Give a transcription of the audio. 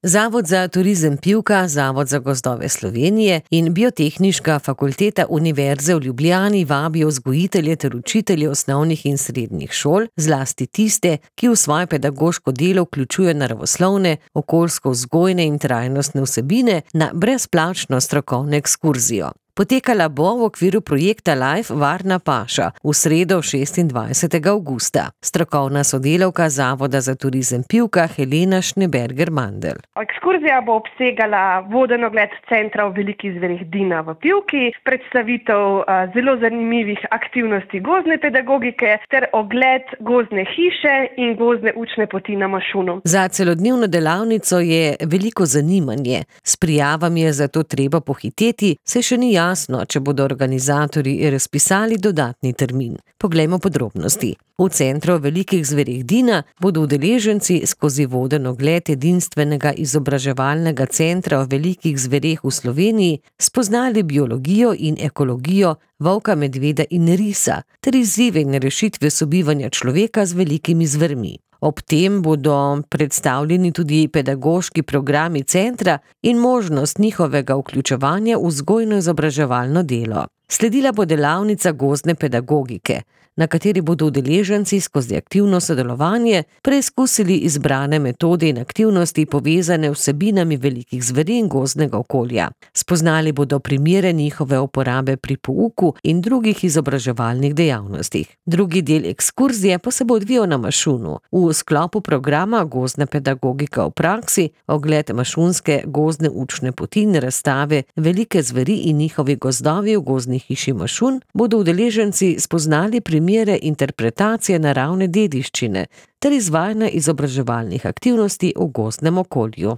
Zavod za turizem Pivka, Zavod za gozdove Slovenije in Biotehniška fakulteta Univerze v Ljubljani vabijo vzgojitelje ter učitelje osnovnih in srednjih šol, zlasti tiste, ki v svoje pedagoško delo vključujejo naravoslovne, okoljsko-vzgojne in trajnostne vsebine, na brezplačno strokovno ekskurzijo. Potekala bo v okviru projekta Life Varna paša v sredo 26. avgusta. Strokovna sodelavka Zavoda za turizem Pivka Helena Schneberger-Mandl. Ekskurzija bo obsegala voden ogled centra v Velikih zverih Dina v Pivki, predstavitev zelo zanimivih aktivnosti gozdne pedagogike ter ogled gozdne hiše in gozdne učne poti na Mašunu. Za celodnevno delavnico je veliko zanimanje. S prijavami je zato treba pohiteti, se še ni jasno, če bodo organizatorji razpisali dodatni termin. Poglejmo podrobnosti. V centru Velikih zverih Dina bodo udeleženci skozi voden ogled edinstvenega izobraževalnega centra v Velikih zvereh v Sloveniji spoznali biologijo in ekologijo volka, medveda in risa ter izzive in rešitve sobivanja človeka z velikimi zvermi. Ob tem bodo predstavljeni tudi pedagoški programi centra in možnost njihovega vključevanja v vzgojno-izobraževalno delo. Sledila bo delavnica gozdne pedagogike, na kateri bodo udeleženci skozi aktivno sodelovanje preizkusili izbrane metode in aktivnosti povezane vsebinami velikih zveri in gozdnega okolja. Spoznali bodo primere njihove uporabe pri pouku in drugih izobraževalnih dejavnostih. Drugi del ekskurzije pa se bo odvijal na Mašunu. V sklopu programa Gozdna pedagogika v praksi, ogled mašunske gozdne učne poti in razstave Velike zveri in njihovi gozdovi v gozdni hiši Mašun, bodo udeleženci spoznali primere interpretacije naravne dediščine ter izvajanja izobraževalnih aktivnosti v gozdnem okolju.